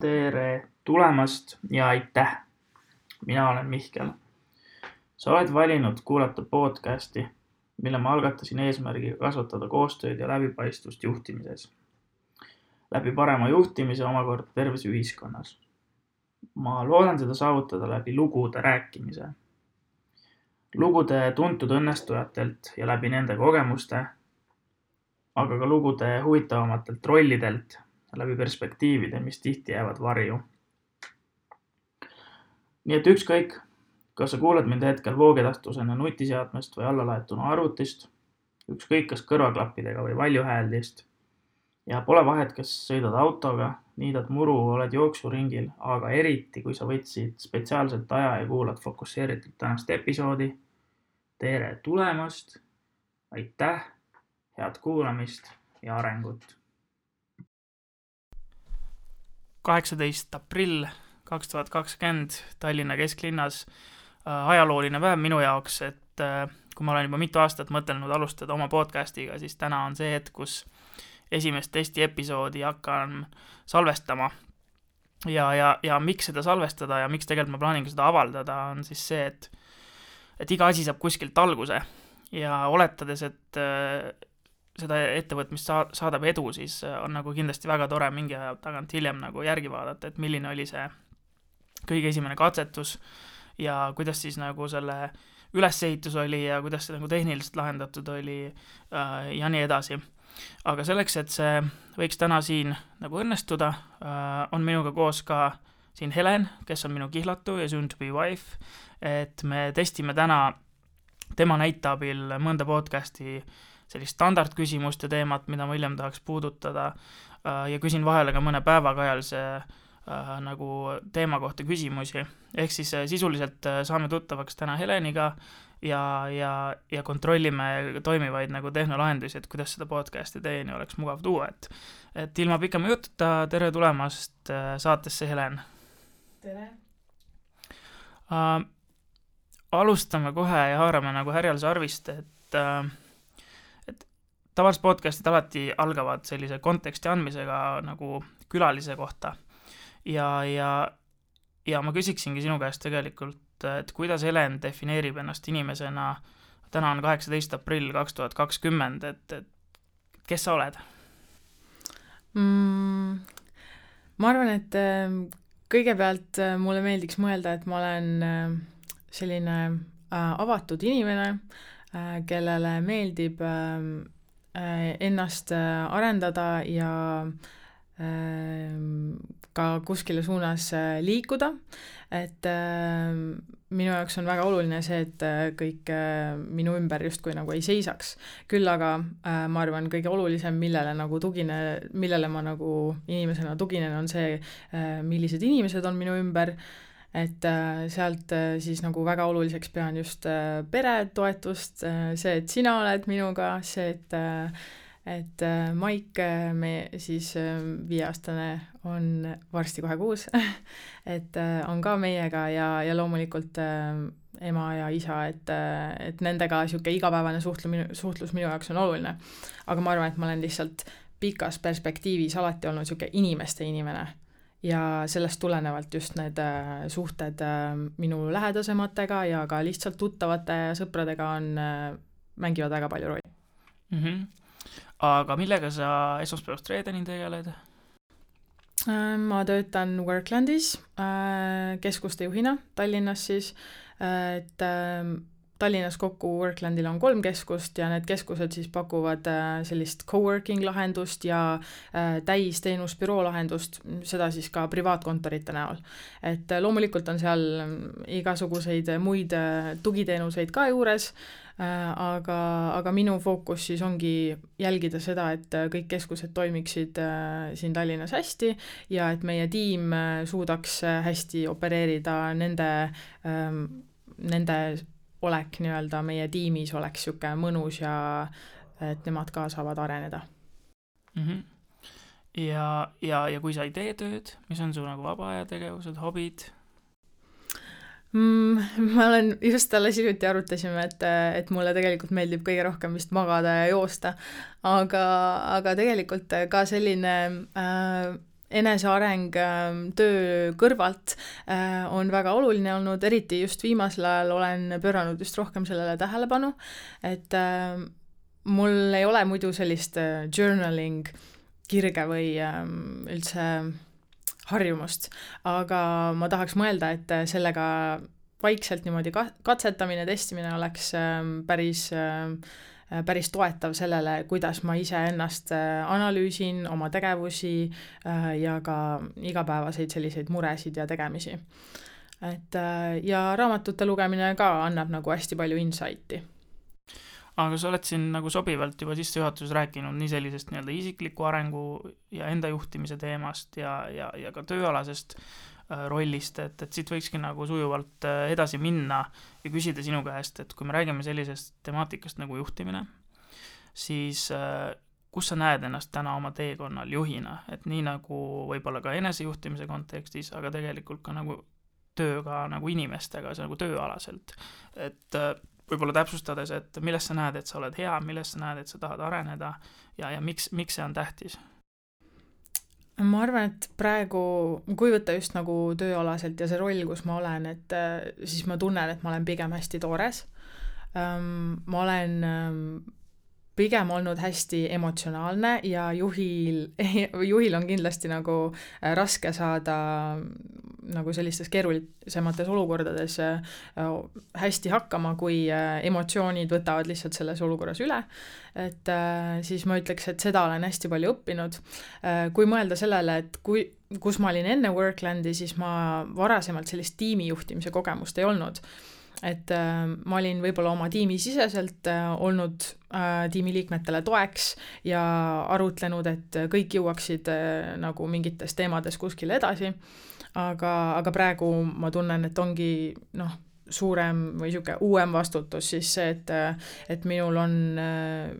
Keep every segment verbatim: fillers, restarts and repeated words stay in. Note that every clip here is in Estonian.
Tere tulemast ja aitäh! Mina olen Mihkel. Sa oled valinud kuulata podcasti, mille ma algatasin eesmärgiga kasvatada koostööd ja läbipaistvust juhtimises. Läbi parema juhtimise omakorda terves ühiskonnas. Ma loodan seda saavutada läbi lugude rääkimise. Lugude tuntud õnnestujatelt ja läbi nende kogemuste, aga ka lugude huvitavamatelt rollidelt, läbi perspektiivide, mis tihti jäävad varju. Nii et ükskõik, kas sa kuulad mind hetkel voogedastusena nutiseadmest või allalaetuna arvutist, ükskõik kas kõrvaklappidega või valjuhääldist, ja pole vahet, kas sõidad autoga, niidad muru, oled jooksuringil, aga eriti, kui sa võtsid spetsiaalselt aja ja kuulad fokusseeritult tänast episoodi. Tere tulemast, aitäh, head kuulamist ja arengut! kaheksateist aprill kaks tuhat kakskümmend Tallinna kesklinnas ajalooline päev minu jaoks, et kui ma olen juba mitu aastat mõtelnud alustada oma podcastiga, siis täna on see hetk, kus esimest testi episoodi hakkan salvestama. Ja, ja, ja miks seda salvestada ja miks tegelikult ma plaanin seda avaldada, on siis see, et, et iga asi saab kuskilt alguse ja oletades, et seda ettevõtmist saadab edu, siis on nagu kindlasti väga tore mingi aja tagant hiljem nagu järgi vaadata, et milline oli see kõige esimene katsetus ja kuidas siis nagu selle ülesehitus oli ja kuidas see nagu tehniliselt lahendatud oli ja nii edasi. Aga selleks, et see võiks täna siin nagu õnnestuda, on minuga koos ka siin Helen, kes on minu kihlatu ja soon to be wife, et me testime täna tema näiteabil mõnda podcasti sellist standardküsimust ja teemat, mida ma hiljem tahaks puudutada ja küsin vahele ka mõne päevakajalise nagu teema kohta küsimusi. Ehk siis sisuliselt saame tuttavaks täna Heleniga ja, ja, ja kontrollime toimivaid nagu tehnolahendusi, et kuidas seda podcasti teieni oleks mugav tuua. Et, et ilma pikema jututa, tere tulemast saatesse, Helen! Tere! Uh, alustame kohe ja haarame nagu härjal sarvist, et uh, tavaliselt podcastid alati algavad sellise konteksti andmisega nagu külalise kohta. Ja, ja, ja ma küsiksingi sinu käest tegelikult, et kuidas Helen defineerib ennast inimesena, täna on kaheksateist aprill kaks tuhat kakskümmend, et, et kes sa oled? Mm, ma arvan, et kõigepealt mulle meeldiks mõelda, et ma olen selline avatud inimene, kellele meeldib ennast arendada ja ka kuskile suunas liikuda, et minu jaoks on väga oluline see, et kõik minu ümber justkui nagu ei seisaks. Küll aga ma arvan, kõige olulisem, millele, nagu tugine, millele ma nagu inimesena tuginen, on see, millised inimesed on minu ümber, et sealt siis nagu väga oluliseks pean just peretoetust, see, et sina oled minuga, see, et, et Maik, me siis viieaastane on varsti kohe kuus, et on ka meiega ja, ja loomulikult ema ja isa, et, et nendega siuke igapäevane suhtlu, suhtlus minu jaoks on oluline. Aga ma arvan, et ma olen lihtsalt pikas perspektiivis alati olnud siuke inimeste inimene. Ja sellest tulenevalt just need suhted minu lähedasematega ja ka lihtsalt tuttavate ja sõpradega on, mängivad väga palju rolli. Mm-hmm. Aga millega sa esmaspäevast reedeni tegeled? Ma töötan Worklandis keskuste juhina Tallinnas siis, et Tallinnas kokku Worklandil on kolm keskust ja need keskused siis pakuvad sellist coworking lahendust ja täisteenusbüroo lahendust, seda siis ka privaatkontorite näol. Et loomulikult on seal igasuguseid muid tugiteenuseid ka juures, aga, aga minu fookus siis ongi jälgida seda, et kõik keskused toimiksid siin Tallinnas hästi ja et meie tiim suudaks hästi opereerida nende, nende olek nii-öelda meie tiimis oleks siuke mõnus ja et nemad ka saavad areneda. Mm-hmm. Ja, ja, ja kui sa ei tee tööd, mis on su nagu vaba aja tegevused, hobid? Mm, ma olen just alles hiljuti arutasime, et, et mulle tegelikult meeldib kõige rohkem vist magada ja joosta, aga, aga tegelikult ka selline äh, eneseareng töö kõrvalt on väga oluline olnud, eriti just viimasel ajal olen pööranud just rohkem sellele tähelepanu, et mul ei ole muidu sellist journaling kirge või üldse harjumust, aga ma tahaks mõelda, et sellega vaikselt niimoodi katsetamine, testimine oleks päris päris toetav sellele, kuidas ma ise ennast analüüsin, oma tegevusi ja ka igapäevaseid selliseid muresid ja tegemisi. Et, ja raamatute lugemine ka annab nagu hästi palju insighti. Aga sa oled siin nagu sobivalt juba sissejuhatuses rääkinud nii sellisest nii-öelda isikliku arengu ja enda juhtimise teemast ja, ja, ja ka tööalasest rollist, et, et siit võikski nagu sujuvalt edasi minna ja küsida sinu käest, et kui me räägime sellisest temaatikast nagu juhtimine, siis kus sa näed ennast täna oma teekonnal juhina, et nii nagu võib-olla ka enesejuhtimise kontekstis, aga tegelikult ka nagu tööga nagu inimestega, see nagu tööalaselt, et võib-olla täpsustades, et milles sa näed, et sa oled hea, milles sa näed, et sa tahad areneda ja, ja miks, miks see on tähtis? Ma arvan, et praegu, kui võtta just nagu tööalaselt ja see roll, kus ma olen, et siis ma tunnen, et ma olen pigem hästi toores. Ma olen pigem olnud hästi emotsionaalne ja juhil, juhil on kindlasti nagu raske saada nagu sellistes keerulisemates olukordades hästi hakkama, kui emotsioonid võtavad lihtsalt selles olukorras üle. Et siis ma ütleks, et seda olen hästi palju õppinud. Kui mõelda sellele, et kui, kus ma olin enne Worklandi, siis ma varasemalt sellist tiimijuhtimise kogemust ei olnud. Et äh, ma olin võib-olla oma tiimi siseselt äh, olnud äh, tiimiliikmetele toeks ja arutlenud, et kõik jõuaksid äh, nagu mingites teemades kuskile edasi, aga, aga praegu ma tunnen, et ongi noh, suurem või siuke uuem vastutus siis see, et, et minul on äh,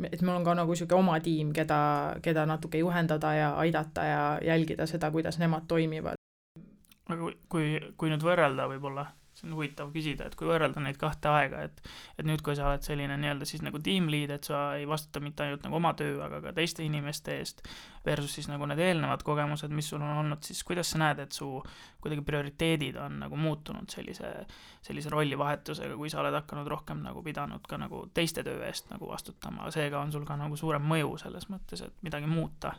et mul on ka nagu siuke oma tiim, keda, keda natuke juhendada ja aidata ja jälgida seda, kuidas nemad toimivad. Aga kui, kui nüüd võrrelda võib-olla, see on huvitav küsida, et kui võrrelda neid kahte aega, et, et nüüd, kui sa oled selline nii-öelda siis nagu tiimliid, et sa ei vastuta mitte ainult nagu oma töö, aga ka teiste inimeste eest versus siis nagu need eelnevad kogemused, mis sul on olnud, siis kuidas sa näed, et su kuidagi prioriteedid on nagu muutunud sellise, sellise rollivahetusega, kui sa oled hakanud rohkem nagu pidanud ka nagu teiste töö eest nagu vastutama, seega on sul ka nagu suurem mõju selles mõttes, et midagi muuta.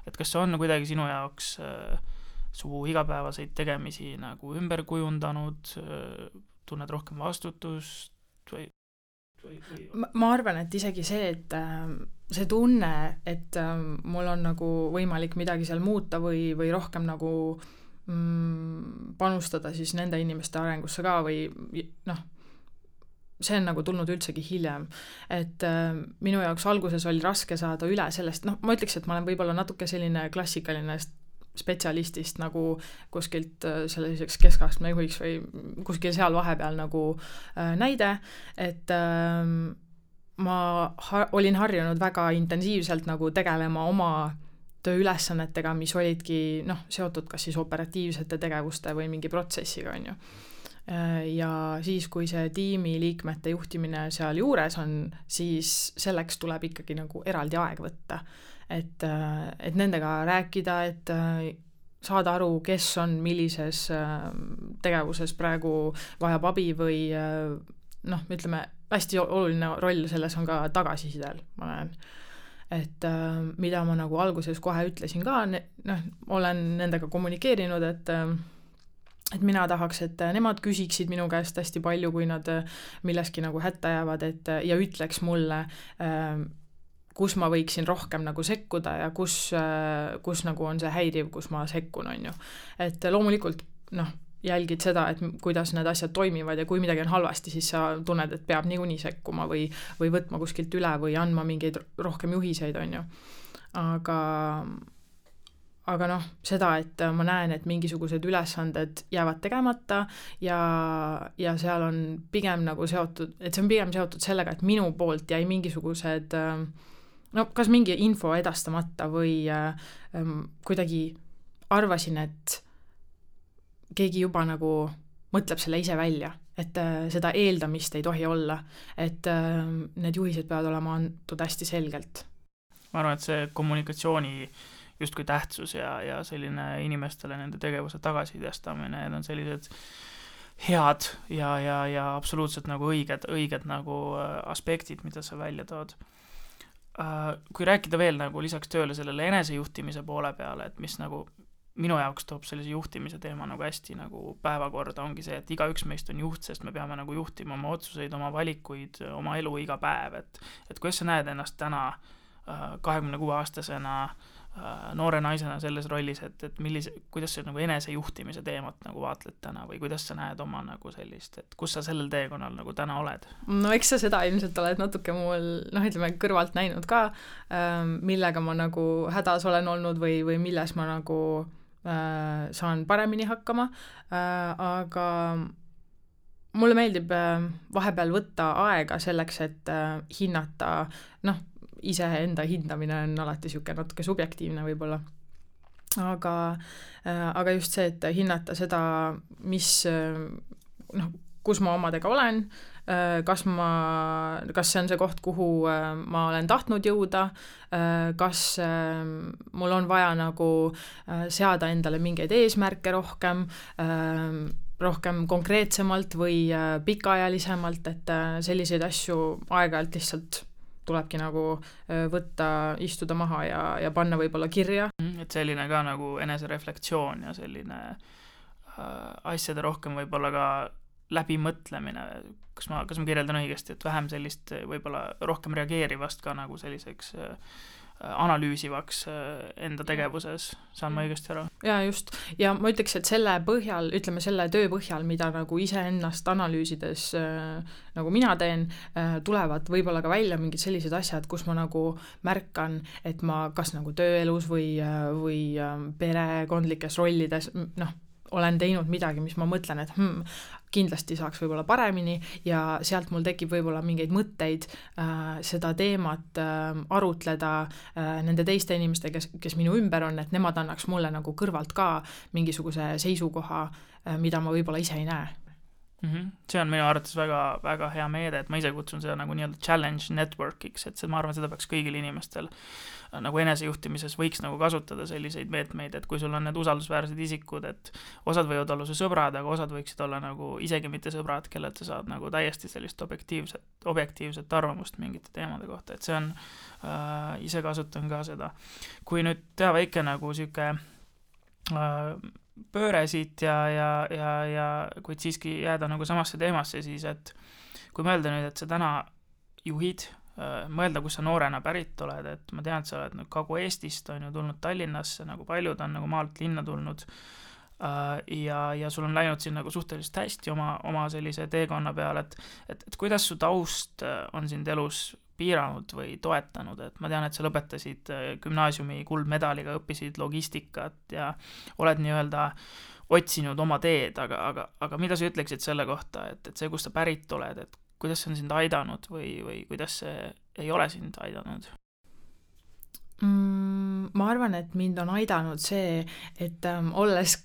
Et kas see on kuidagi sinu jaoks äh, su igapäevaseid tegemisi nagu ümber kujundanud, tunned rohkem vastutust või, või, või... Ma, ma arvan, et isegi see, et see tunne, et mul on nagu võimalik midagi seal muuta või, või rohkem nagu mm, panustada siis nende inimeste arengusse ka või noh, see on nagu tulnud üldsegi hiljem, et minu jaoks alguses oli raske saada üle sellest, noh, ma ütleks, et ma olen võib-olla natuke selline klassikaline spetsialistist nagu kuskilt selliseks keskastme juhiks või kuskil seal vahepeal nagu äh, näide, et äh, ma ha- olin harjunud väga intensiivselt nagu tegelema oma tööülesannetega, mis olidki noh, seotud kas siis operatiivsete tegevuste või mingi protsessiga, on ju. Ja siis, kui see tiimi liikmete juhtimine seal juures on, siis selleks tuleb ikkagi nagu eraldi aeg võtta. Et, et nendega rääkida, et saada aru, kes on millises tegevuses praegu vajab abi või noh, ütleme, hästi oluline roll selles on ka tagasisidel, ma näen. Et mida ma nagu alguses kohe ütlesin ka, noh, olen nendega kommunikeerinud, et et mina tahaks, et nemad küsiksid minu käest hästi palju, kui nad milleski nagu hätta jäävad, et ja ütleks mulle, kus ma võiksin rohkem nagu sekkuda ja kus, kus nagu on see häiriv, kus ma sekkun, on ju. Et loomulikult, noh, jälgid seda, et kuidas need asjad toimivad ja kui midagi on halvasti, siis sa tunned, et peab niikuinii sekkuma või, või võtma kuskilt üle või andma mingeid rohkem juhiseid, on ju. Aga, aga noh, seda, et ma näen, et mingisugused ülesanded jäävad tegemata ja, ja seal on pigem nagu seotud, et see on pigem seotud sellega, et minu poolt jäi mingisugused no kas mingi info edastamata või ähm, kuidagi arvasin, et keegi juba nagu mõtleb selle ise välja, et äh, seda eeldamist ei tohi olla, et äh, need juhised peavad olema antud hästi selgelt. Ma arvan, et see kommunikatsiooni justkui tähtsus ja, ja selline inimestele nende tegevuse tagasisidestamine, need on sellised head ja, ja, ja absoluutselt nagu õiged, õiged nagu aspektid, mida sa välja tood. Kui rääkida veel nagu lisaks tööle sellele enesejuhtimise poole peale, et mis nagu minu jaoks toob sellise juhtimise teema nagu hästi nagu päevakorda, ongi see, et igaüks meist on juht, sest me peame nagu juhtima oma otsuseid, oma valikuid, oma elu iga päev, et, et kuidas sa näed ennast täna kahekümne kuue aastasena noore naisena selles rollis, et, et millise, kuidas sa nagu enesejuhtimise teemat nagu vaatled täna või kuidas sa näed oma nagu sellist, et kus sa sellel teekonnal nagu täna oled? No eks sa seda ilmselt oled natuke mul, noh, ütleme kõrvalt näinud ka, millega ma nagu hädas olen olnud või, või milles ma nagu äh, saan paremini hakkama, äh, aga mulle meeldib äh, vahepeal võtta aega selleks, et äh, hinnata, noh, iseenda hindamine on alati siuke natuke subjektiivne võib-olla. Aga, aga just see, et hinnata seda, mis, noh, kus ma omadega olen, kas ma, kas see on see koht, kuhu ma olen tahtnud jõuda, kas mul on vaja nagu seada endale mingeid eesmärke rohkem, rohkem konkreetsemalt või pikaajalisemalt, et selliseid asju aeg-ajalt lihtsalt tulebki nagu võtta, istuda maha ja, ja panna võib-olla kirja. Et selline ka nagu enesereflektsioon ja selline äh, asjade rohkem võib-olla ka läbimõtlemine, kas ma, kas ma kirjeldan õigesti, et vähem sellist võib-olla rohkem reageerivast ka nagu selliseks äh, analüüsivaks enda tegevuses, saan ma õigesti aru? Jaa, just. Ja ma ütleks, et selle põhjal, ütleme selle töö põhjal, mida nagu iseennast analüüsides äh, nagu mina teen, äh, tulevad võib-olla ka välja mingid sellised asjad, kus ma nagu märkan, et ma kas nagu tööelus või, või äh, perekondlikes rollides, noh, olen teinud midagi, mis ma mõtlen, et hmm, kindlasti saaks võib-olla paremini ja sealt mul tekib võib-olla mingeid mõtteid äh, seda teemat äh, arutleda äh, nende teiste inimeste, kes, kes minu ümber on, et nemad annaks mulle nagu kõrvalt ka mingisuguse seisukoha, äh, mida ma võib-olla ise ei näe. Mm-hmm. See on minu arvates väga, väga hea meede, et ma ise kutsun seda nagu nii-öelda challenge networkiks, et see, ma arvan, seda peaks kõigil inimestel nagu enesejuhtimises võiks nagu kasutada selliseid meetmeid, et kui sul on need usaldusväärsed isikud, et osad võivad olla su sõbrad, aga osad võiksid olla nagu isegi mitte sõbrad, kellelt sa saad nagu täiesti sellist objektiivset, objektiivset arvamust mingite teemade kohta, et see on äh, ise kasutan ka seda. Kui nüüd teha väike nagu siuke äh, pööre siit ja, ja, ja, ja kuid siiski jääda nagu samasse teemasse, siis et kui mõelda nüüd, et sa täna juhid, mõelda, kus sa noorena pärit oled, et ma tean, et sa oled nüüd Kagu-Eestist, on ju tulnud Tallinnasse, nagu paljud on nagu maalt linna tulnud ja, ja sul on läinud siin nagu suhteliselt hästi oma, oma sellise teekonna peal, et, et, et kuidas su taust on sind elus piiranud või toetanud, et ma tean, et sa lõpetasid gümnaasiumi kuldmedaliga, õppisid logistikat ja oled nii-öelda otsinud oma teed, aga, aga, aga mida sa ütleksid selle kohta, et, et see, kus sa pärit oled, et kuidas see on sind aidanud või, või kuidas see ei ole sind aidanud? Mm, ma arvan, et mind on aidanud see, et ähm, olles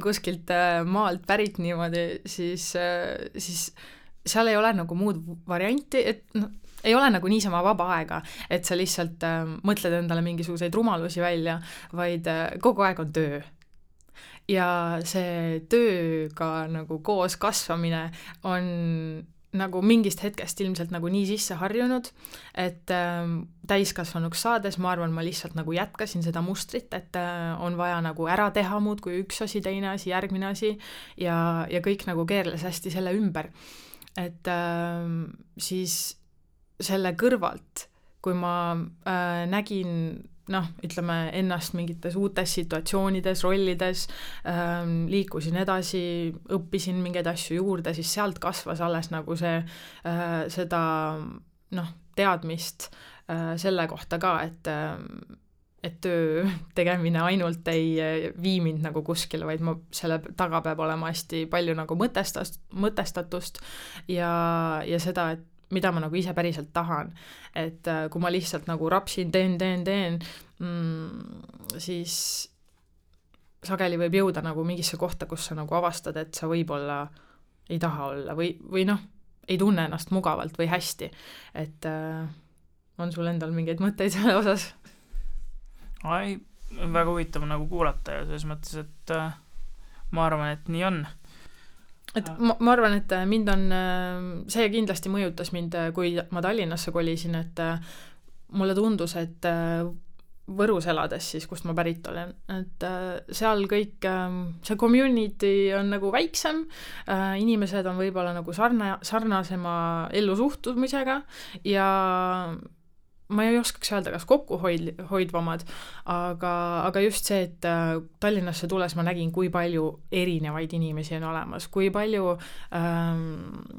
kuskilt äh, maalt pärit niimoodi, siis, äh, siis seal ei ole nagu muud varianti, et no, ei ole nagu niisama vaba aega, et sa lihtsalt äh, mõtled endale mingisuguseid rumalusi välja, vaid äh, kogu aeg on töö. Ja see tööga nagu koos kasvamine on nagu mingist hetkest ilmselt nagu nii sisse harjunud, et äh, täiskasvanuks saades ma arvan, ma lihtsalt nagu jätkasin seda mustrit, et äh, on vaja nagu ära teha muud kui üks asi, teine asi, järgmine asi ja, ja kõik nagu keerles hästi selle ümber. Et äh, siis selle kõrvalt, kui ma äh, nägin, noh, ütleme ennast mingites uutes situatsioonides, rollides, äh, liikusin edasi, õppisin mingeid asju juurde, siis sealt kasvas alles nagu see, äh, seda, noh, teadmist äh, selle kohta ka, et äh, et töö tegemine ainult ei vii mind nagu kuskile, vaid ma selle taga peab olema hästi palju nagu mõtestast, mõtestatust ja, ja seda, et mida ma nagu ise päriselt tahan. Et kui ma lihtsalt nagu rapsin, teen, teen, teen, mm, siis sageli võib jõuda nagu mingisse kohta, kus sa nagu avastad, et sa võib-olla ei taha olla või, või noh, ei tunne ennast mugavalt või hästi. Et äh, on sul endal mingeid mõtteid selle osas? Ai, väga huvitav nagu kuulata ja selles mõttes, et äh, ma arvan, et nii on. Et ma, ma arvan, et mind on, see kindlasti mõjutas mind, kui ma Tallinnasse kolisin, et mulle tundus, et Võrus elades siis, kust ma pärit olen, et seal kõik, see community on nagu väiksem, inimesed on võib-olla nagu sarna, sarnasema ellusuhtumisega ja ma ei oskaks öelda, kas kokkuhoid, hoidvamad, aga, aga just see, et Tallinnasse tules ma nägin, kui palju erinevaid inimesi on olemas, kui palju ähm,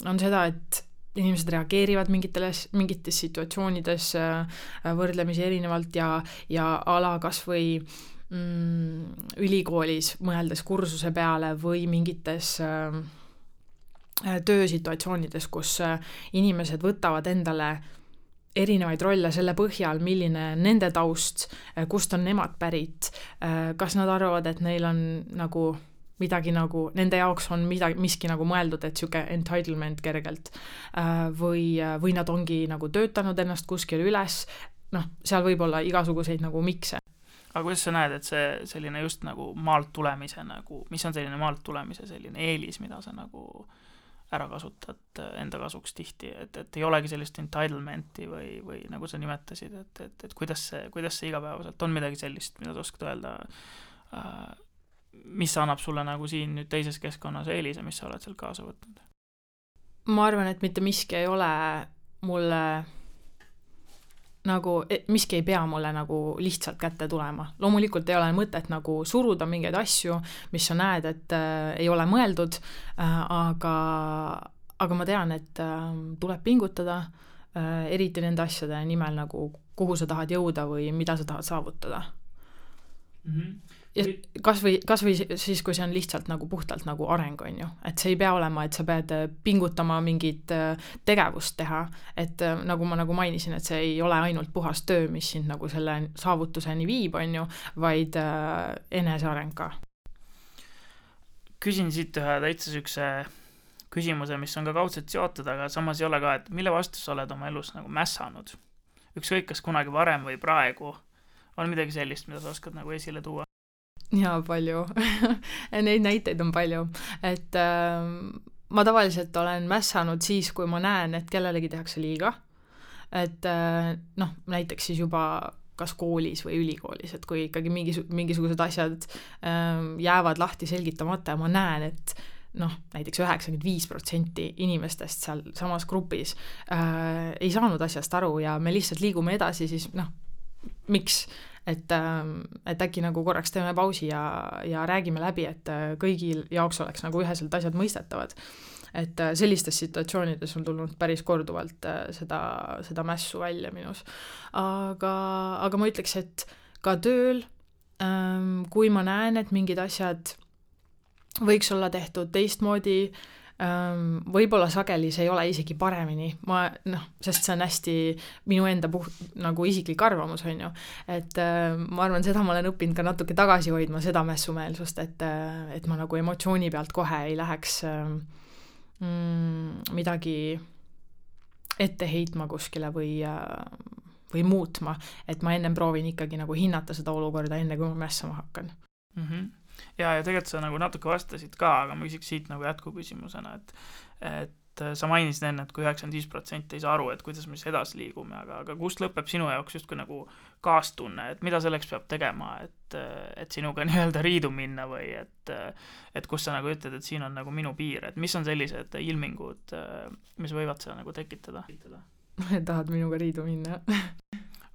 on seda, et inimesed reageerivad mingiteles, mingites situatsioonides äh, võrdlemisi erinevalt ja, ja ala kas või mm, ülikoolis mõeldes kursuse peale või mingites äh, töösituatsioonides, kus äh, inimesed võtavad endale erinevaid rolle selle põhjal, milline nende taust, kust on nemad pärit, kas nad arvavad, et neil on nagu midagi nagu, nende jaoks on midagi, miski nagu mõeldud, et siuke entitlement kergelt või, või nad ongi nagu töötanud ennast kuskil üles, noh, seal võib olla igasuguseid nagu mikse. Aga kuidas sa näed, et see selline just nagu maalt tulemise nagu, mis on selline maalt tulemise selline eelis, mida sa nagu ära kasutad enda kasuks tihti, et, et ei olegi sellist entitlementi või, või nagu sa nimetasid, et, et, et kuidas see, kuidas see igapäevaselt on midagi sellist, mida sa oskad öelda, äh, mis annab sulle nagu siin nüüd teises keskkonnas eelise, mis sa oled seal kaasa võtnud? Ma arvan, et mitte miski ei ole mulle nagu, miski ei pea mulle nagu lihtsalt kätte tulema. Loomulikult ei ole mõtet nagu suruda mingeid asju, mis sa näed, et äh, ei ole mõeldud, äh, aga, aga ma tean, et äh, tuleb pingutada, äh, eriti nende asjade nimel nagu, kuhu sa tahad jõuda või mida sa tahad saavutada. Mm-hmm. Ja kas või, kas või siis, kui see on lihtsalt nagu puhtalt nagu areng, on ju, et see ei pea olema, et sa pead pingutama mingit tegevust teha, et nagu ma nagu mainisin, et see ei ole ainult puhas töö, mis sind nagu selle saavutuseni viib, on ju, vaid äh, eneseareng ka. Küsin siit ühe täitsa sükse küsimuse, mis on ka kaudselt seotud, aga samas ei ole ka, et mille vastu sa oled oma elus nagu mässanud? Ükskõik, kas kunagi varem või praegu on midagi sellist, mida sa oskad nagu esile tuua? Jaa, palju. Neid näiteid on palju. Et äh, ma tavaliselt olen mässanud siis, kui ma näen, et kellelegi tehakse liiga. Et äh, noh, näiteks siis juba kas koolis või ülikoolis, et kui ikkagi mingis, mingisugused asjad äh, jäävad lahti selgitamata ja ma näen, et noh, näiteks üheksakümmend viis protsenti inimestest seal samas grupis äh, ei saanud asjast aru ja me lihtsalt liigume edasi, siis noh, miks? Et, et äkki nagu korraks teeme pausi ja, ja räägime läbi, et kõigil jaoks oleks nagu üheselt asjad mõistetavad. Et sellistes situatsioonides on tulnud päris korduvalt seda, seda mässu välja minus. Aga, aga ma ütleks, et ka tööl, kui ma näen, et mingid asjad võiks olla tehtud teistmoodi, võib-olla sageli see ei ole isegi paremini, ma, noh, sest see on hästi minu enda puht, nagu isiklik arvamus, on ju, et äh, ma arvan, seda ma olen õppinud ka natuke tagasi hoidma, seda mässumeelsust, et, et ma nagu emotsiooni pealt kohe ei läheks äh, mm, midagi ette heitma kuskile või, äh, või muutma, et ma ennem proovin ikkagi nagu hinnata seda olukorda enne, kui ma mässama hakkan. Mhm. Ja, ja tegelikult sa nagu natuke vastasid ka, aga ma küsiks siit nagu jätkuküsimusena, et, et sa mainisid enne, et kui üheksakümmend viis protsenti ei saa aru, et kuidas me siis edasi liigume, aga, aga kust lõpeb sinu jaoks just kui nagu kaastunne, et mida selleks peab tegema, et, et sinuga nii-öelda riidu minna või et, et kus sa nagu ütled, et siin on nagu minu piir, et mis on sellised ilmingud, mis võivad seda nagu tekitada? Tahad minuga riidu minna?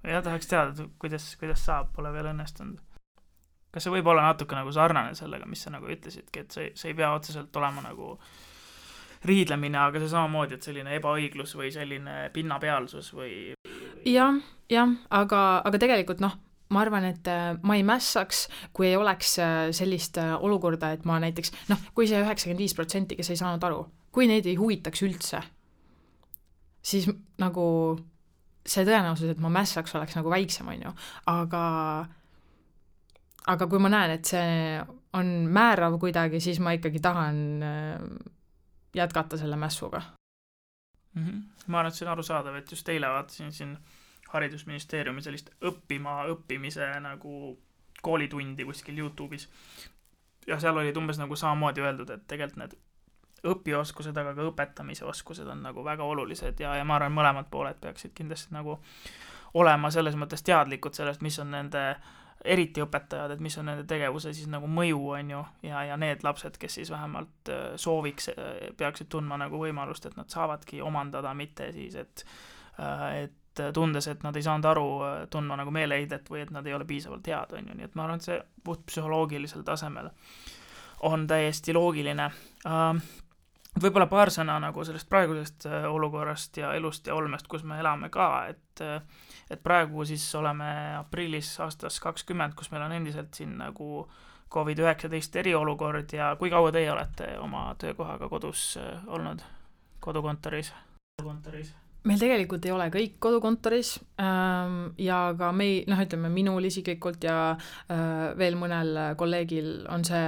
Ja tahaks teada, kuidas, kuidas saab, pole veel õnnestunud. Kas see võib olla natuke nagu sarnane sellega, mis sa nagu ütlesidki, et see, see ei pea otseselt olema nagu riidlemine, aga see samamoodi, et selline ebaõiglus või selline pinnapealsus või... Jah, jah, aga, aga tegelikult noh, ma arvan, et ma ei mässaks, kui ei oleks sellist olukorda, et ma näiteks, noh, kui see üheksakümmend viis protsenti, kes ei saanud aru, kui neid ei huvitaks üldse, siis nagu see tõenäosus, et ma mässaks, oleks nagu väiksem, on ju, aga... Aga kui ma näen, et see on määrav kuidagi, siis ma ikkagi tahan jätkata selle mässuga. Mm-hmm. Ma arvan, et see on arusaadav, et just eile vaatasin siin haridusministeeriumi sellist õppima õppimise nagu koolitundi kuskil YouTube'is ja seal olid umbes nagu samamoodi öeldud, et tegelikult need õpioskused, aga ka õpetamise oskused on nagu väga olulised ja, ja ma arvan, mõlemad pooled peaksid kindlasti nagu olema selles mõttes teadlikud sellest, mis on nende, eriti õpetajad, et mis on nende tegevuse siis nagu mõju, on ju, ja, ja need lapsed, kes siis vähemalt sooviks, peaksid tundma nagu võimalust, et nad saavadki omandada, mitte siis, et, et tundes, et nad ei saanud aru, tundma nagu meeleheidet või et nad ei ole piisavalt head, on ju, nii et ma arvan, et see puht psühholoogilisel tasemel on täiesti loogiline. Võib-olla paar sõna nagu sellest praegusest olukorrast ja elust ja olmest, kus me elame ka, et, et praegu siis oleme aprillis aastas kakskümmend, kus meil on endiselt siin nagu covid üheksateist eriolukord ja kui kaua teie olete oma töökohaga kodus olnud, kodukontoris? kodukontoris? Meil tegelikult ei ole kõik kodukontoris ja ka mei, noh, ütleme minul isiklikult ja veel mõnel kolleegil on see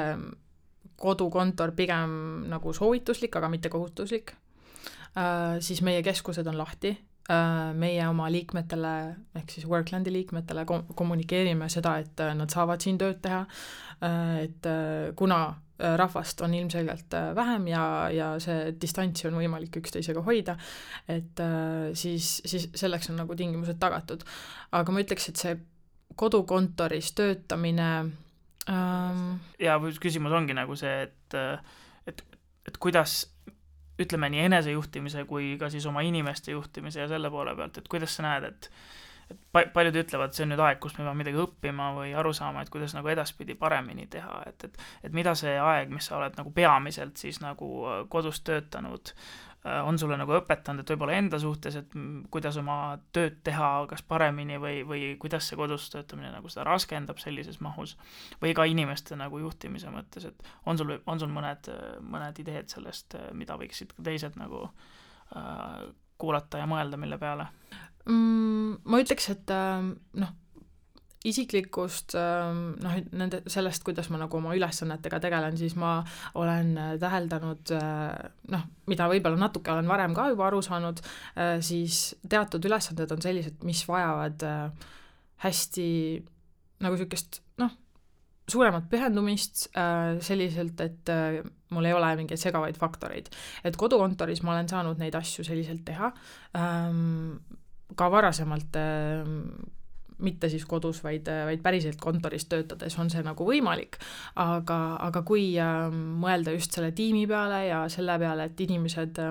kodukontor pigem nagu soovituslik, aga mitte kohustuslik. Siis meie keskused on lahti. Meie oma liikmetele, ehk siis Worklandi liikmetele kommunikeerime seda, et nad saavad siin tööd teha, et kuna rahvast on ilmselgelt vähem ja, ja see distantsi on võimalik üksteisega hoida, et siis, siis selleks on nagu tingimused tagatud. Aga ma ütleks, et see kodukontoris töötamine ähm... ja küsimus ongi nagu see, et, et, et kuidas ütleme nii enesejuhtimise kui ka siis oma inimeste juhtimise ja selle poole pealt, et kuidas sa näed, et et paljud ütlevad, see on nüüd aeg, kus me peame midagi õppima või aru saama, et kuidas nagu edaspidi paremini teha, et, et, et mida see aeg, mis sa oled nagu peamiselt siis nagu kodus töötanud, on sulle nagu õpetanud, et võib-olla enda suhtes, et kuidas oma tööd teha, kas paremini või, või kuidas see kodus töötamine nagu seda raskendab sellises mahus või ka inimeste nagu juhtimise mõttes, et on sul, on sul mõned, mõned ideed sellest, mida võiksid teised nagu äh, kuulata ja mõelda, mille peale? Mm, ma ütleks, et noh, isiklikust noh, nende, sellest, kuidas ma nagu oma ülesannetega tegelen, siis ma olen täheldanud, noh, mida võib-olla natuke olen varem ka juba aru saanud, siis teatud ülesanded on sellised, mis vajavad hästi nagu sükest, noh, suuremat pühendumist selliselt, et mul ei ole mingeid segavaid faktoreid. Et kodukontoris ma olen saanud neid asju selliselt teha, ka varasemalt mitte siis kodus, vaid, vaid päriselt kontoris töötades on see nagu võimalik, aga, aga kui mõelda just selle tiimi peale ja selle peale, et inimesed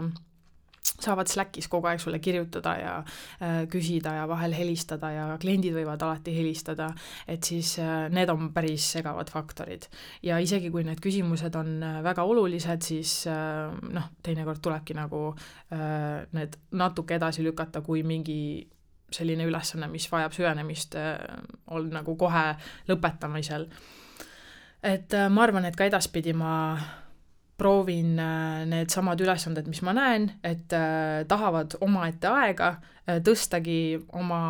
saavad Slackis kogu aeg sulle kirjutada ja äh, küsida ja vahel helistada ja kliendid võivad alati helistada, et siis äh, need on päris segavad faktorid. Ja isegi kui need küsimused on väga olulised, siis äh, noh, teinekord tulebki nagu äh, need natuke edasi lükata, kui mingi selline ülesanne, mis vajab süvenemist, äh, on nagu kohe lõpetamisel. Et äh, ma arvan, et ka edaspidi ma proovin need samad ülesanded, mis ma näen, et äh, tahavad omaette aega, äh, tõstagi oma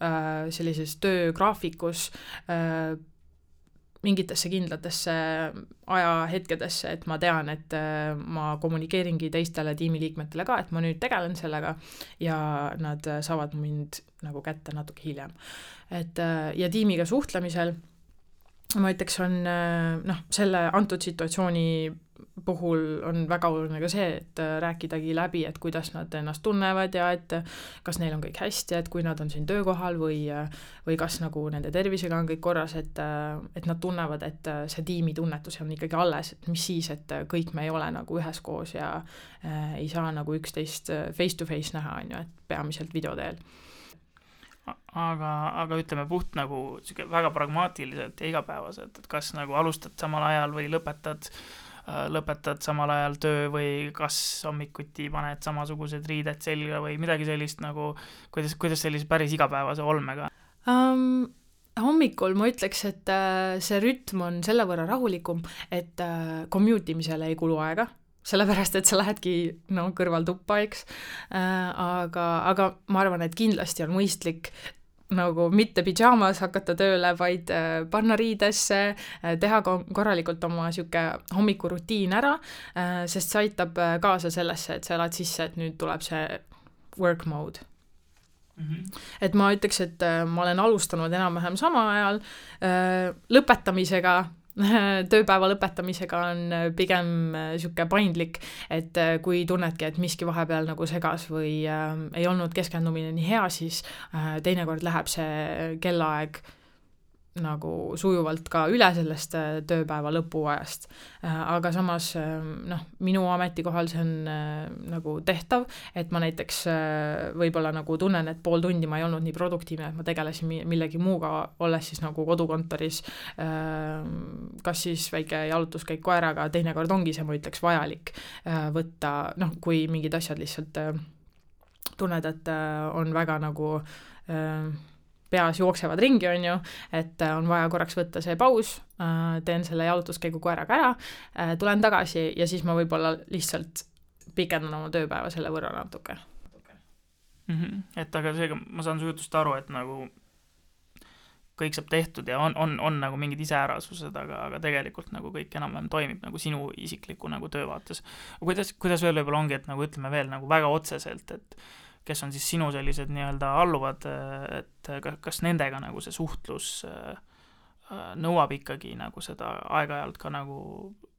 äh, sellises töögraafikus äh, mingitesse kindlatesse ajahetkedesse, et ma tean, et äh, ma kommunikeeringi teistele tiimiliikmetele ka, et ma nüüd tegelen sellega ja nad saavad mind nagu kätte natuke hiljem. Et, äh, ja tiimiga suhtlemisel ma ütleks, on noh, selle antud situatsiooni puhul on väga oluline ka see, et rääkidagi läbi, et kuidas nad ennast tunnevad ja et kas neil on kõik hästi, et kui nad on siin töökohal või, või kas nagu nende tervisega on kõik korras, et, et nad tunnevad, et see tiimi tunnetus on ikkagi alles, et mis siis, et kõik me ei ole nagu üheskoos ja äh, ei saa nagu üksteist face to face näha, on ju, et peamiselt videoteel. Aga, aga ütleme puht nagu väga pragmaatiliselt ja igapäevaselt, et kas nagu alustad samal ajal või lõpetad, lõpetad samal ajal töö või kas hommikuti paned samasugused riided selga või midagi sellist nagu, kuidas, kuidas sellise päris igapäevase olmega? Um, hommikul ma ütleks, et uh, see rütm on selle võrra rahulikum, et uh, commute imisele ei kulu aega, sellepärast, et sa lähedki no, kõrval tuppa, eks, äh, aga, aga ma arvan, et kindlasti on mõistlik nagu mitte pidžaamas hakata tööle, vaid äh, panna riidesse, äh, teha korralikult oma siuke hommikurutiin ära, äh, sest see aitab kaasa sellesse, et sa elad sisse, et nüüd tuleb see work mode. Mm-hmm. Et ma ütleks, et ma olen alustanud enam-vähem sama ajal, lõpetamisega, tööpäeva lõpetamisega on pigem niisugune paindlik, et kui tunnedki, et miski vahepeal nagu segas või äh, ei olnud keskendumine nii hea, siis äh, teinekord läheb see kellaaeg nagu sujuvalt ka üle sellest tööpäeva lõpuajast. Aga samas noh, minu ametikohal see on nagu tehtav, et ma näiteks võib-olla nagu tunnen, et pool tundi ma ei olnud nii produktiivne, et ma tegelesin millegi muuga, olles siis nagu kodukontoris, kas siis väike jalutuskäik koeraga, teinekord ongi see, ma ütleks, vajalik võtta, noh, kui mingid asjad lihtsalt tunned, et on väga nagu peas jooksevad ringi, on ju, et on vaja korraks võtta see paus, teen selle jalutuskäigu koeraga ära, tulen tagasi ja siis ma võib-olla lihtsalt pikendan oma tööpäeva selle võrra natuke. Mm-hmm. Et aga seega ma saan su jutust aru, et nagu kõik saab tehtud ja on, on, on nagu mingid iseärasused, aga, aga tegelikult nagu kõik enam-vähem toimib nagu sinu isikliku nagu töövaates. Kuidas, kuidas veel võib-olla ongi, et nagu ütleme veel nagu väga otseselt, et kes on siis sinu sellised nii-öelda alluvad, et kas nendega nagu see suhtlus nõuab ikkagi nagu seda aeg-ajalt ka nagu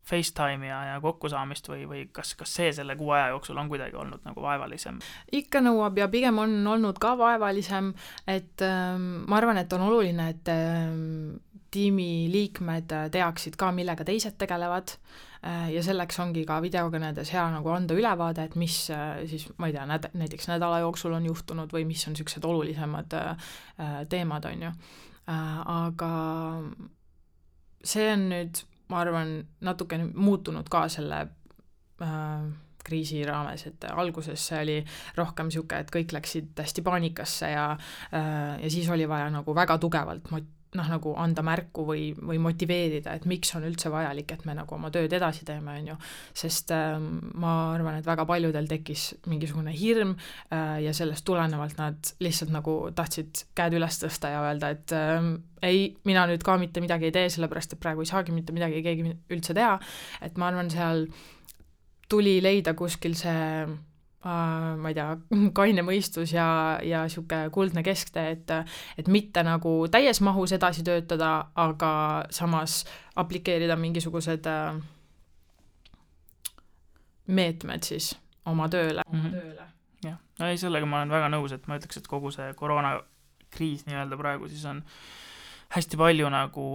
FaceTime ja, ja kokkusaamist või, või kas, kas see selle kuu aja jooksul on kuidagi olnud nagu vaevalisem? Ikka nõuab ja pigem on olnud ka vaevalisem, et ähm, ma arvan, et on oluline, et ähm, tiimi liikmed teaksid ka, millega teised tegelevad ja selleks ongi ka videokõnedes hea nagu anda ülevaade, et mis siis, ma ei tea, näd- näiteks nädala jooksul on juhtunud või mis on niisugused olulisemad teemad, on ju. Aga see on nüüd, ma arvan, natuke muutunud ka selle kriisi raames, et alguses see oli rohkem niisugune, et kõik läksid hästi paanikasse ja, ja siis oli vaja nagu väga tugevalt mot- noh, nagu anda märku või, või motiveerida, et miks on üldse vajalik, et me nagu oma tööd edasi teeme, on ju. Sest äh, ma arvan, et väga paljudel tekkis mingisugune hirm äh, ja sellest tulenevalt nad lihtsalt nagu tahtsid käed üles tõsta ja öelda, et äh, ei, mina nüüd ka mitte midagi ei tee, sellepärast et praegu ei saagi mitte midagi keegi üldse teha. Et ma arvan, seal tuli leida kuskil see ma ei tea, kaine mõistus ja, ja siuke kuldne kesktee, et, et mitte nagu täies mahus edasi töötada, aga samas aplikeerida mingisugused meetmed siis oma tööle. Mm-hmm. tööle. Jah, no ei, sellega ma olen väga nõus, et ma ütleks, et kogu see koroonakriis nii-öelda praegu siis on hästi palju nagu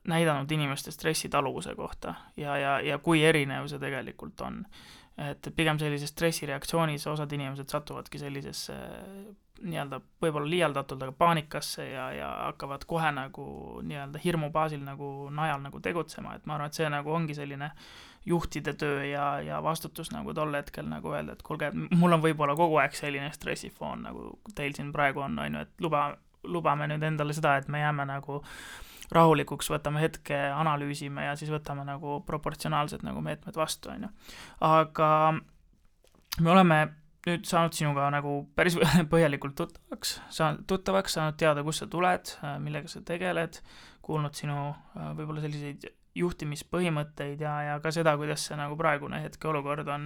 näidanud inimeste stressitaluvuse kohta ja, ja, ja kui erinev see tegelikult on. Et pigem sellises stressireaktsioonis osad inimesed satuvadki sellisesse nii-öelda võib-olla liialdatult, aga paanikasse ja, ja hakkavad kohe nagu nii-öelda hirmu baasil nagu najal nagu tegutsema, et ma arvan, et see nagu ongi selline juhtide töö ja, ja vastutus nagu tol hetkel nagu öelda, et kuulge, mul on võib-olla kogu aeg selline stressifoon, nagu teil siin praegu on, on ju, et luba, lubame nüüd endale seda, et me jääme nagu rahulikuks, võtame hetke, analüüsime ja siis võtame nagu proportsionaalsed nagu meetmed vastu, on ju. Aga me oleme nüüd saanud sinuga nagu päris põhjalikult tuttavaks, saanud, tuttavaks, saanud teada, kus sa tuled, millega sa tegeled, kuulnud sinu võib-olla selliseid juhtimispõhimõtteid ja, ja ka seda, kuidas see nagu praegune hetke olukord on,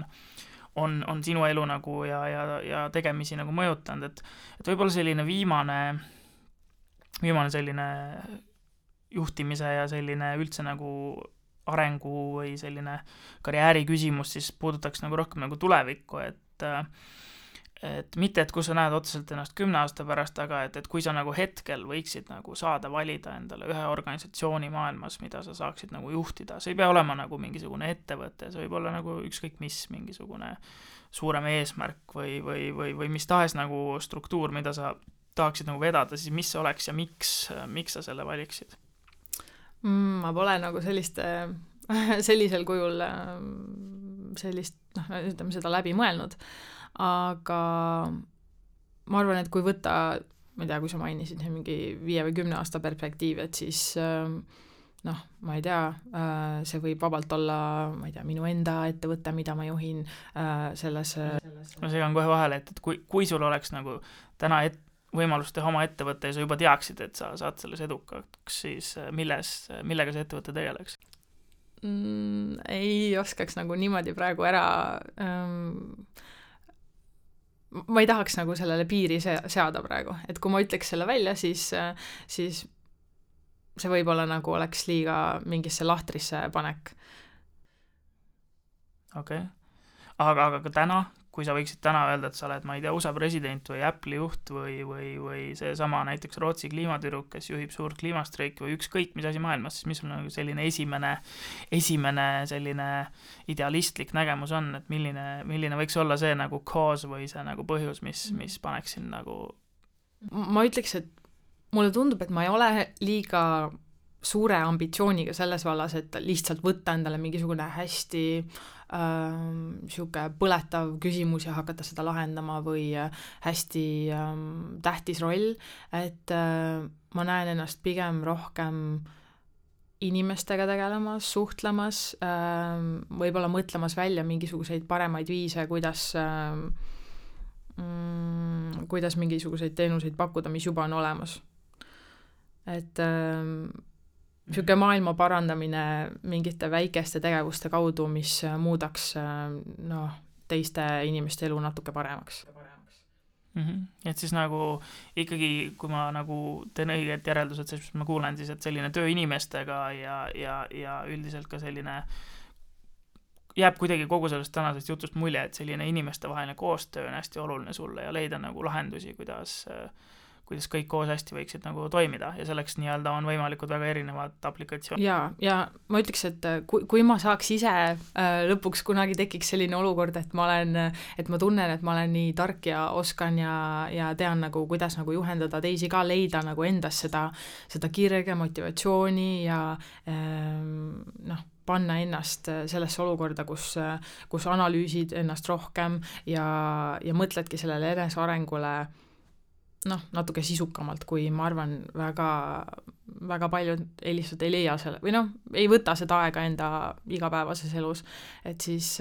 on, on sinu elu nagu ja, ja, ja tegemisi nagu mõjutanud, et, et võib-olla selline viimane, viimane selline juhtimise ja selline üldse nagu arengu või selline karjääri küsimus siis puudutaks nagu rohkem nagu tulevikku, et, et mitte, et kus sa näed otseselt ennast kümne aasta pärast, aga et, et kui sa nagu hetkel võiksid nagu saada valida endale ühe organisatsiooni maailmas, mida sa saaksid nagu juhtida, see ei pea olema nagu mingisugune ettevõte, see võib olla nagu ükskõik mis mingisugune suurem eesmärk või, või, või, või mis tahes nagu struktuur, mida sa tahaksid nagu vedada, siis mis see oleks ja miks, miks sa selle valiksid? Ma pole nagu sellist, sellisel kujul sellist, noh, ütleme seda läbi mõelnud, aga ma arvan, et kui võtta, ma ei tea, kui sa mainisid mingi viie või kümne aasta perspektiiv, et siis noh, ma ei tea, see võib vabalt olla, ma ei tea, minu enda ettevõte, mida ma juhin selles... Ma segan kohe vahele, et, et kui, kui sul oleks nagu täna et, võimalus teha oma ettevõtte ja sa juba teaksid, et sa saad selles edukaks, siis milles, millega see ettevõte tegeleks? Mm, ei oskaks nagu niimoodi praegu ära ähm, ma ei tahaks nagu sellele piiri se- seada praegu, et kui ma ütleks selle välja, siis, siis see võib-olla nagu oleks liiga mingisse lahtrisse panek. okei okay. aga, aga ka täna, kui sa võiksid täna öelda, et sa oled, ma ei tea, U S A president või Apple'i juht või, või, või see sama näiteks Rootsi kliimatüdruk, kes juhib suurt kliimastreiki või ükskõik mis asi maailmas, siis mis on nagu selline esimene, esimene selline idealistlik nägemus on, et milline, milline võiks olla see nagu cause või see nagu põhjus, mis, mis paneks sind nagu... Ma ütleks, et mulle tundub, et ma ei ole liiga suure ambitsiooniga selles vallas, et lihtsalt võtta endale mingisugune hästi ähm, siuke põletav küsimus ja hakata seda lahendama või hästi ähm, tähtis roll, et äh, ma näen ennast pigem rohkem inimestega tegelemas, suhtlemas, ähm, võib-olla mõtlemas välja mingisuguseid paremaid viise, kuidas ähm, mm, kuidas mingisuguseid teenuseid pakkuda, mis juba on olemas. Et ähm, siuke maailma parandamine mingite väikeste tegevuste kaudu, mis muudaks noh, teiste inimeste elu natuke paremaks. Mm-hmm. Et siis nagu ikkagi, kui ma nagu teen õiged järeldused, siis ma kuulen siis, et selline töö inimestega ja, ja, ja üldiselt ka selline jääb kuidagi kogu sellest tänasest jutust mulje, et selline inimestevaheline koostöö on hästi oluline sulle ja leida nagu lahendusi, kuidas kuidas kõik koos hästi võiksid nagu toimida ja selleks nii-öelda on võimalikud väga erinevad aplikatsioonid. Ja, ja ma ütleks, et kui, kui ma saaks ise äh, lõpuks kunagi tekiks selline olukord, et ma olen, et ma tunnen, et ma olen nii tark ja oskan ja, ja tean nagu, kuidas nagu juhendada teisi ka, leida nagu endas seda, seda kirge, motivatsiooni ja äh, noh, panna ennast sellesse olukorda, kus, kus analüüsid ennast rohkem ja, ja mõtledki sellele enesearengule noh, natuke sisukamalt, kui ma arvan, väga, väga paljud ei lihtsalt ei leia selle, või noh, ei võta seda aega enda igapäevases elus, et siis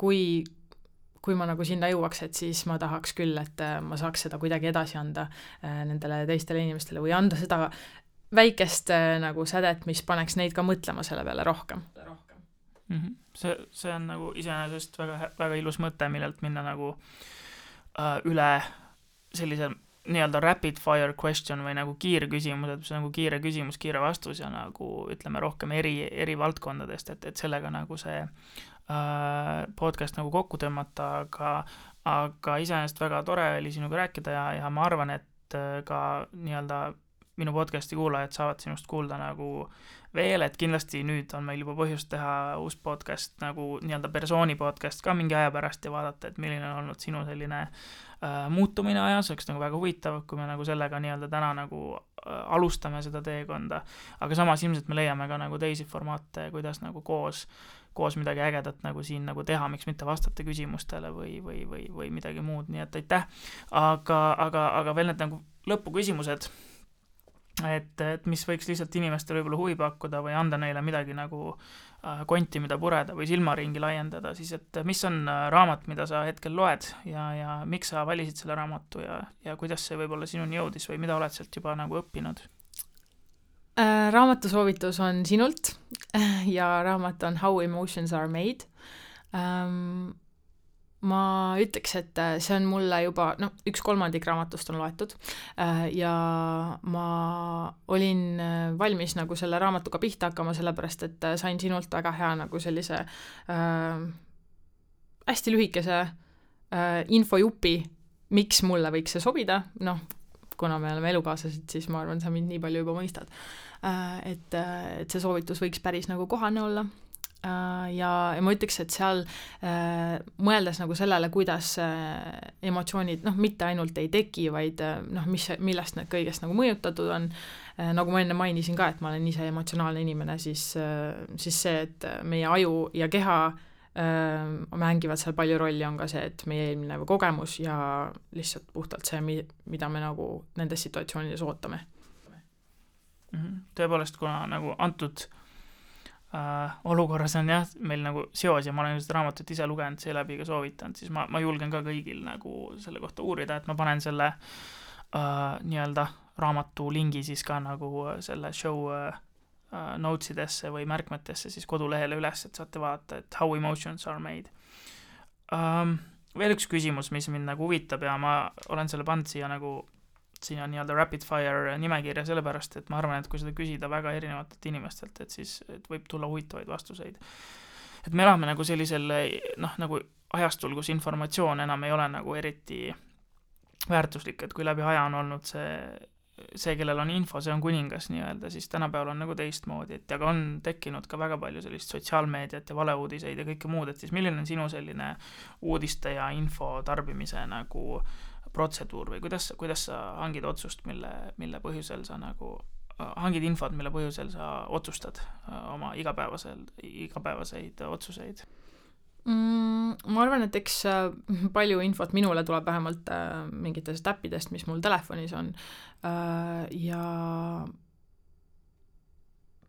kui, kui ma nagu sinna jõuaks, et siis ma tahaks küll, et ma saaks seda kuidagi edasi anda nendele teistele inimestele või anda seda väikest nagu sädet, mis paneks neid ka mõtlema selle peale rohkem. Mm-hmm. See, see on nagu iseenesest väga, väga ilus mõte, millelt minna nagu äh, üle sellise nii-öelda rapid fire question või nagu kiire küsimus, et see on nagu kiire küsimus, kiire vastus ja nagu ütleme rohkem eri, eri valdkondadest, et, et sellega nagu see äh, podcast nagu kokku tõmmata, aga, aga iseenesest väga tore oli sinuga rääkida ja, ja ma arvan, et ka nii-öelda minu podcasti kuulajad saavad sinust kuulda nagu veel, et kindlasti nüüd on meil juba põhjust teha uus podcast nagu nii-öelda persooni podcast ka mingi aja pärast ja vaadata, et milline on olnud sinu selline äh, muutumine ajas, oleks nagu väga huvitav, kui me nagu sellega nii-öelda täna nagu äh, alustame seda teekonda, aga samas ilmselt me leiame ka nagu teisi formaate, kuidas nagu koos, koos midagi ägedat nagu siin nagu teha, miks mitte vastata küsimustele või, või, või, või midagi muud, nii et aitäh, aga, aga, aga veel need nagu lõpuküsimused, et, et mis võiks lihtsalt inimestele võib-olla huvi pakkuda või anda neile midagi nagu äh, konti, mida pureda või silmaringi laiendada, siis et mis on äh, raamat, mida sa hetkel loed ja, ja miks sa valisid selle raamatu ja, ja kuidas see võib-olla sinuni jõudis või mida oled sealt juba nagu õppinud? Äh, raamatu soovitus on sinult ja raamat on How Emotions Are Made. Ähm, ma ütleks, et see on mulle juba, noh, üks kolmandik raamatust on loetud ja ma olin valmis nagu selle raamatuga pihta hakkama, sellepärast et sain sinult väga hea nagu sellise äh, hästi lühikese äh, infojupi, miks mulle võiks see sobida, noh, kuna me oleme elukaaslased, siis ma arvan, sa mind nii palju juba mõistad, äh, et, et see soovitus võiks päris nagu kohane olla. Ja, ja ma ütleks, et seal äh, mõeldes nagu sellele, kuidas äh, emotsioonid, noh, mitte ainult ei teki, vaid äh, noh, mis, millest need kõigest nagu mõjutatud on, äh, nagu ma enne mainisin ka, et ma olen ise emotsionaalne inimene, siis, äh, siis see, et meie aju ja keha äh, mängivad seal palju rolli, on ka see, et meie eelmine kogemus ja lihtsalt puhtalt see, mida me nagu nendes situatsioonides ootame. Tõepoolest, kuna nagu antud Uh, olukorras on jah, meil nagu seos ja ma olen seda raamatut ise lugenud, seeläbi ka soovitanud, siis ma, ma julgen ka kõigil nagu selle kohta uurida, et ma panen selle uh, nii-öelda raamatu lingi siis ka nagu selle show uh, notesidesse või märkmetesse siis kodulehele üles, et saate vaadata, et How Emotions Are Made. Um, veel üks küsimus, mis mind nagu huvitab ja ma olen selle pannud siia nagu siin on nii-öelda rapid fire nimekirja sellepärast, et ma arvan, et kui seda küsida väga erinevatelt inimestelt, et siis et võib tulla huvitavaid vastuseid. Et me elame nagu sellisel, noh, nagu ajastul, kus informatsioon enam ei ole nagu eriti väärtuslik, et kui läbi aja on olnud see, see, kellel on info, see on kuningas nii-öelda, siis tänapäeval on nagu teistmoodi, et aga on tekkinud ka väga palju sellist sotsiaalmeediat ja valeuudiseid ja kõike muud, et siis milline on sinu selline uudiste ja info tarbimise nagu protseduur või kuidas, kuidas sa hangid otsust, mille, mille põhjusel sa nagu hangid infot, mille põhjusel sa otsustad oma igapäevasel, igapäevaseid otsuseid? Mm, ma arvan, et eks palju infot minule tuleb vähemalt mingitest äppidest, mis mul telefonis on ja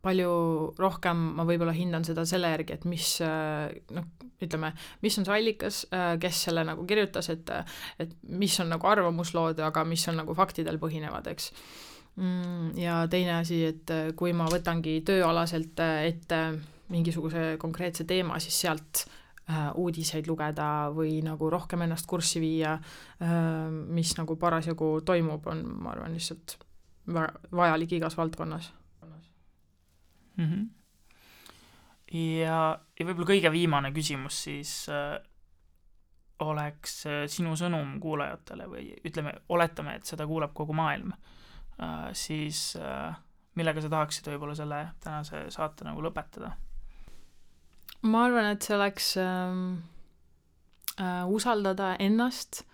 palju rohkem ma võib-olla hindan seda selle järgi, et mis, noh, ütleme, mis on see allikas, kes selle nagu kirjutas, et, et mis on nagu arvamuslood, aga mis on nagu faktidel põhinevad, eks. Ja teine asi, et kui ma võtangi tööalaselt ette mingisuguse konkreetse teema, siis sealt uudiseid lugeda või nagu rohkem ennast kurssi viia, mis nagu parasjagu toimub, on, ma arvan, lihtsalt vajalik igas valdkonnas. Mm-hmm. Ja, ja võib-olla kõige viimane küsimus siis äh, oleks äh, sinu sõnum kuulajatele või ütleme, oletame, et seda kuulab kogu maailm, äh, siis äh, millega sa tahaksid võib-olla selle tänase saate nagu lõpetada? Ma arvan, et see oleks äh, äh, usaldada ennast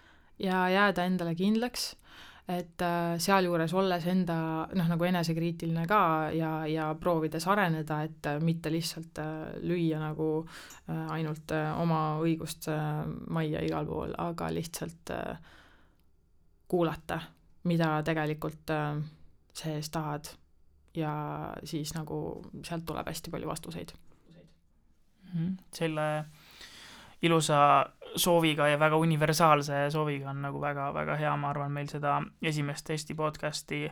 ja jääda endale kindlaks, et äh, sealjuures olles enda, noh, nagu enesekriitiline ka ja, ja proovides areneda, et äh, mitte lihtsalt äh, lüüa nagu äh, ainult äh, oma õigust äh, majja igal pool, aga lihtsalt äh, kuulata, mida tegelikult äh, sees tahad ja siis nagu sealt tuleb hästi palju vastuseid. Mm-hmm. Selle ilusa sooviga ja väga universaalse sooviga on nagu väga, väga hea, ma arvan, meil seda esimest Eesti podcasti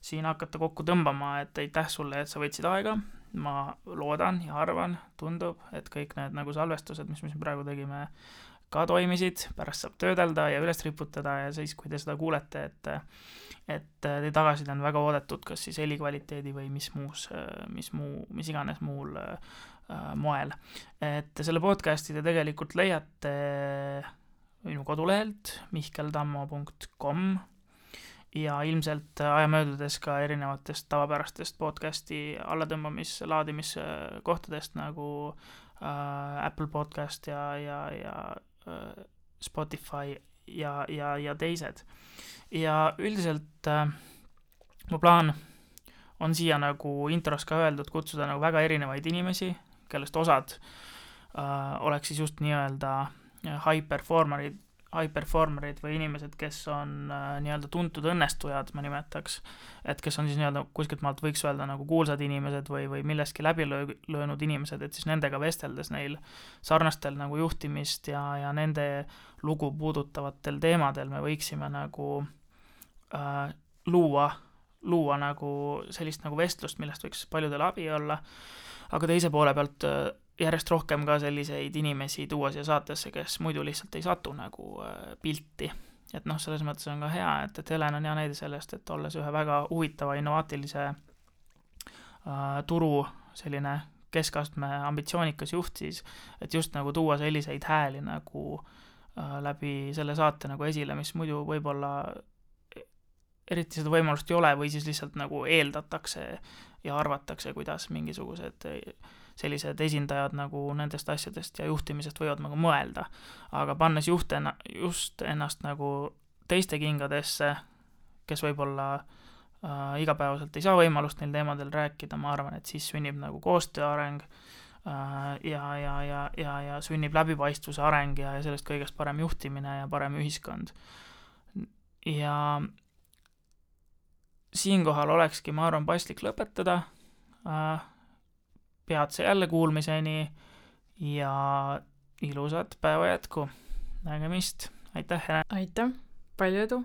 siin hakata kokku tõmbama, et aitäh sulle, et sa võtsid aega, ma loodan ja arvan, tundub, et kõik need nagu salvestused, mis me praegu tegime, ka toimisid, pärast saab töödelda ja üles riputada ja siis, kui te seda kuulete, et et te tagasid on väga oodatud, kas siis helikvaliteedi või mis muus, mis muu, mis iganes muul moel. Et selle podcasti te tegelikult leiate minu kodulehelt mihkeltammo punkt com ja ilmselt aja möödudes ka erinevatest tavapärastest podcasti allatõmbamis, laadimiskohtadest nagu äh, Apple Podcast ja, ja, ja äh, Spotify ja, ja, ja teised. Ja üldiselt äh, mu plaan on siia nagu intros ka öeldud kutsuda nagu väga erinevaid inimesi, kellest osad äh, oleks siis just nii-öelda high performerid, high performerid või inimesed, kes on äh, nii-öelda tuntud õnnestujad, ma nimetaks, et kes on siis nii-öelda kuskilt maalt võiks öelda nagu kuulsad inimesed või, või milleski läbi löö, löönud inimesed, et siis nendega vesteldes neil sarnastel nagu juhtimist ja, ja nende lugu puudutavatel teemadel me võiksime nagu äh, luua luua nagu sellist nagu vestlust, millest võiks paljudele abi olla, aga teise poole pealt järjest rohkem ka selliseid inimesi tuua siia saatesse, kes muidu lihtsalt ei satu nagu pilti. Et noh, selles mõttes on ka hea, et, et Helen on hea näide sellest, et olles ühe väga huvitava innovaatilise äh, turu selline keskastme ambitsioonikas juht siis, et just nagu tuua selliseid hääli nagu äh, läbi selle saate nagu esile, mis muidu võib-olla eriti seda võimalust ei ole või siis lihtsalt nagu eeldatakse ja arvatakse, kuidas mingisugused sellised esindajad nagu nendest asjadest ja juhtimisest võivad nagu mõelda. Aga pannes juht enna, just ennast nagu teiste kingadesse, kes võib-olla äh, igapäevaselt ei saa võimalust neil teemadel rääkida, ma arvan, et siis sünnib nagu koostööareng äh, ja, ja, ja, ja, ja sünnib läbipaistvuse areng ja, ja sellest kõigest parem juhtimine ja parem ühiskond. Ja siinkohal olekski, ma arvan, paslik lõpetada. Peatse jälle kuulmiseni ja ilusat päeva jätku. Nägemist. Aitäh! Aitäh! Palju edu!